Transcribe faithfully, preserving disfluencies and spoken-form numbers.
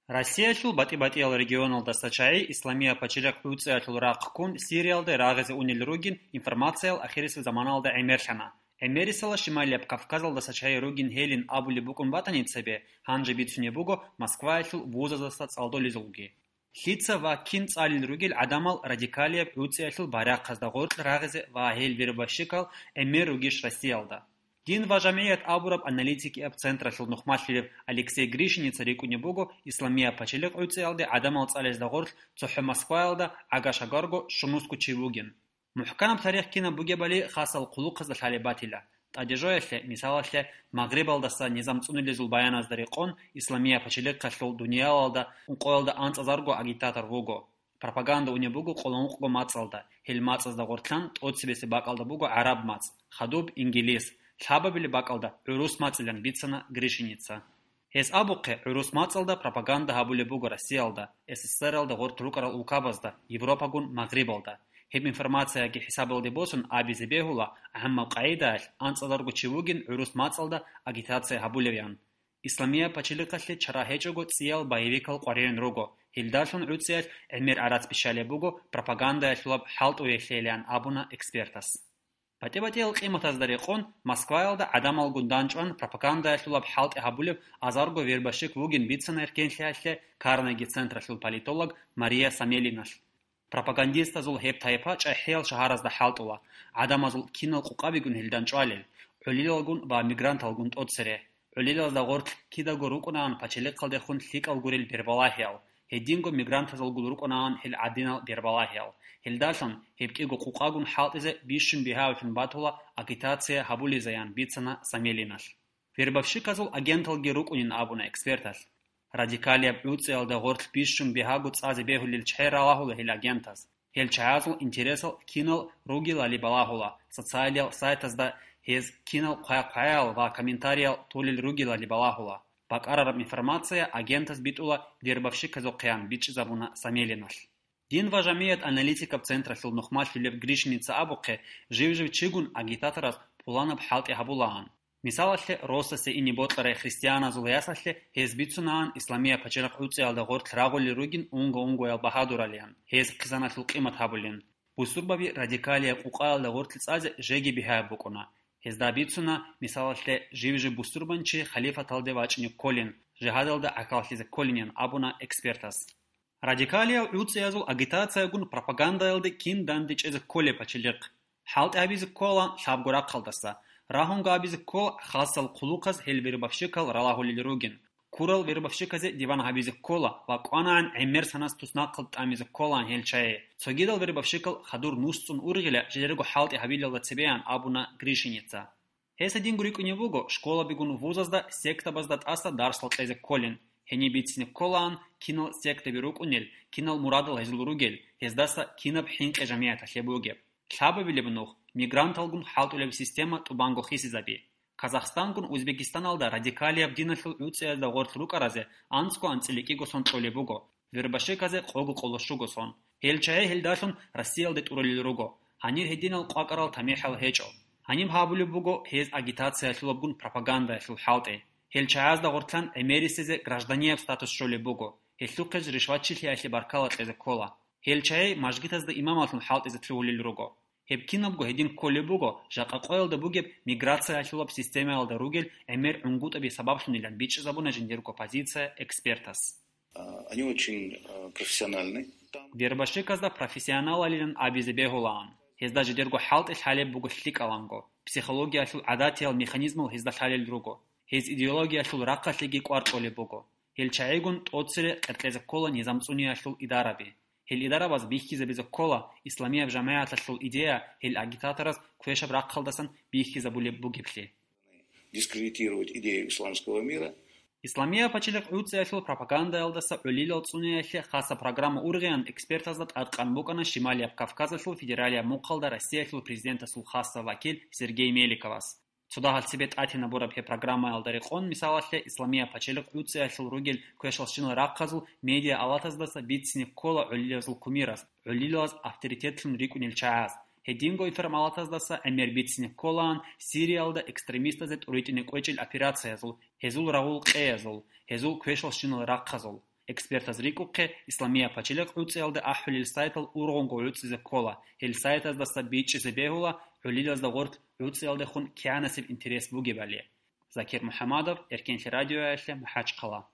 Россиялъул батӀи-батӀиял регионалдаса чагӀи исламияб пачелихъ гӀуцӀиялъул рахъ ккун Сириялде рагъизе унел ругин информациял ахирисеб заманалда гӀемерлъана. ГӀемерисела Шималияб Кавказалдаса чагӀи ругин гьелин абулеб букӀун батани цебе, гьанже бицунеб буго Москваялъул вузаздаса цӀалдолезулги. Лъица ва кин цӀалел ругел гӀадамал радикалияб гӀуцӀиялъул байрахъазда гъоркь рагъизе ва гьел вербовщикал гӀемер ругищ Россиялда? Дин ва жамгӀият абураб аналитикияб централъул нухмалъулев Алексей Гришиница рикӀкӀунеб буго исламияб пачелихъ гӀуцӀиялде гӀадамал цӀалезда гъорлъ цохӀо Москваялда гӀага-шагарго щунусго чи вугин. МухӀканаб тарих кинаб бугебали хасал хъулухъазда лъалеб батила. ТӀадежоялъе, мисалалъе, Магърибалдаса низам цӀунулезул баяназда рекъон, исламияб пачелихъалъул дуниялалда ункъоялда анцӀазарго агитатор вуго. Пропаганда унеб буго къоло ункъго мацӀалда, гьел мацӀазда гъортлъан тӀоцебесеб бакӀалда буго гӀараб мацӀ, хадуб ингилис, лъабабилеб бакӀалда гӀурус мацӀилан бицана Гришиница. Гьес абухъе, гӀурус мацӀалда пропаганда гьабулеб буго Россиялда, СССРалда гъоркь рукӀарал улкабазда, Европагун Магърибалда. Гьеб информацияги хӀисабалде босун абизе бегьула, гӀаммаб къагӀидаялъ анцӀазарго чи вугин гӀурус мацӀалда агитация гьабулевян. Исламияб пачелихъалъе чара гьечӀого цӀиял боевикал къваригӀун руго, гьелдалъун гӀуцӀиялъ гӀемер гӀарац бищалеб буго пропагандаялъулаб хӀалтӀуялъейилан абуна экспертас. БатӀи-батӀиял къиматазда рекъон, Москваялда гӀадамалгун данчӀван пропагандаялъулаб хӀалтӀи гьабулеб азарго вербовщик вугин бицана эркенлъиялъе Карнеги централъул политолог Мария Самелиналъ. Пропагандистазул гьеб тайпа чӀахӀиял шагьаразда хӀалтӀула, гӀадамазул кинал къукъабигун гьелдан чӀвалел, гӀолилалгун ва мигранталгун тӀоцере. ГӀолилазда гъорлъ кидаго рукӀунаан пачелихъалдехун лъикӀал гурел бербалагьиял, гьединго мигрантазулгун рукӀунаан гьел гӀадинал бербалагьиял. Гьелдалъун гьеб кӀиго къукъагун хӀалтӀизе бищун бигьаявлъун батула агитация гьабулезаян бицана Самелиналъ. Вербовщиказул агенталги рукӀунин абуна эксперталъ. Радикалияб гӀуцӀиялда гъорлъ бищун бигьаго цӀазе бегьулел чагӀи ралагьула гьел агентаз. Гьел чагӀазул интересал кинал ругелали балагьула, социалиял сайтазда гьез кинал хъвай-хъваял ва комментариял толел ругелали балагьула. БакӀарараб информация агентаз битӀула вербовщиказухъеян бичӀчӀизабуна Самелиналъ. Дин ва жамгӀият аналитикаб централъул нухмалъулев Гришница абухъе, жив-жив чигун агитаторас пуланаб хӀалтӀи гьабулаан. Мисалалъе, росасе ине бокьарай христианазул ясалъе гьез бицунаан исламияб пачелихъ гӀуцӀиялда гъоркь рагъулел ругин унго-унгоял багьадуралиан, гьез хъизаналъул къимат гьабулин. Бусурбаби радикалияб къукъаялда гъоркье цӀазе жеги бигьаяб букӀуна. Гьезда бицуна, мисалалъе, жив-жив бусурбанчи халифаталде вачӀине кколин, жигьадалда гӀахьаллъизе кколинин абуна экспертас. Радикалиял гӀуцӀиязул агитациягун пропагандаялде кин дандечӀезе кколеб пачелихъ? ХӀалтӀи гьабизе ккола лъабго рахъалдаса, рагьунго абизе ккола хасал хъулухъаз гьел вербовщикал ралагьулел ругин. Ккурал вербовщиказе диван гьабизе ккола ва кӀванагӀан гӀемер санас туснахъалд тӀамизе кколаан гьел чагӀи. Цогидал вербовщикал хадур нусцӀун ургъила жидерго хӀалтӀи гьабилалда цебеян абуна Гришиница. Гьес гьединго рикӀкӀунеб буго, школабигун вузазда сектабазда тӀаса дарсал кьезе кколин. Гьениб бицине кколаан, кинал сектаби рукӀунел, кинал мурадал гьезул ругел, гьездаса кинаб хӀинкъи жамигӀаталъе бугеб. Лъабабилеб нух, мигранталгун хӀалтӀулеб система тӀубанго хисизаби. Казахстангун Узбекистаналда радикалияб диналъул гӀуцӀиязда гъорлъ рукӀаразе анцӀго анцӀила кӀиго сон кьолеб буго, вербовщиказе къого къоло щуго сон. Гьел чагӀи гьелдалъун Россиялде тӀурулел руго. Гьанир гьединал къвакӀарал тамихӀал гьечӀо. Гьаниб гьабулеб буго гьез агитациялъулабгун пропагандаялъул хӀалтӀи. Гьел чагӀазда гъортлъан гӀемерисезе гражданияб статус щолеб буго. Гьелъухъе ришватчилъиялъе баркала кьезе ккола. Гьел чагӀи мажгитазда имамалъун хӀалтӀизе лъугьулел руго. Гьеб кинабго гьедин кколеб буго, жакъа къоялда бугеб миграциялъулаб системаялда ругел гӀемер гӀунгутӀаби сабаблъунилан бичӀчӀизабуна жиндирго позиция экспертас. А, они очень, э, профессиональны. Там Вербовщиказда профессионалалилан абизе бегьулаан. Гьезда жидерго хӀалтӀи лъалеб буго лъикӀаланго. Психологиялъул гӀадатиял механизмал гьезда лъалел руго. Гьез идеологиялъул рахъалъеги кӀвар кьолеб буго. Гьел чагӀигун тӀоцере къеркьезе ккола низам цӀуниялъул идараби. Гьел идарабаз бихьизабизе ккола исламияб жамагӀаталъул идея гьел агитатораз квешаб рахъалдасан бихьизабулеб бугеблъи. Дискредитировать идею исламского мира. Исламияб пачелихъ гӀуцӀиялъул пропагандаялдаса гӀолилал цӀуниялъе хаса программа ургъиян экспертазда тӀадкъан букӀана Шималияб Кавказалъул федералияб мухъалда Россиялъул президентасул хаса вакил Сергей Меликовас. Цо дагьал цебе тӀатинабураб гьеб программаялда рекъон, мисалалъе, исламияб пачелихъ гӀуцӀиялъул ругел квешалщинал рахъазул медиа-алатаздаса бицине ккола гӀолилазул кумирас, гӀолилаз авторитетлъун рикӀкӀунел чагӀаз. Гьединго информалатаздаса гӀемер бицине кколаан Сириялда экстремистазе тӀуритӀине кӀвечӀел операциязул, гьезул рагъул къеязул, гьезул квешалщинал рахъазул. Экспертаз рикӀухъе, Исламия пачелихъ гӀуцӀиялда ахӀулел сайтал ургъунго гӀуцӀизе ккола, гьел сайтаздаса бичӀчӀизе бегьула гӀолилазда гъорлъ гӀуцӀиялдехун кигӀанасеб интерес бугебали. Закир МухӀамадов, Эркенлъи радиоялъе, МахӀачхъала.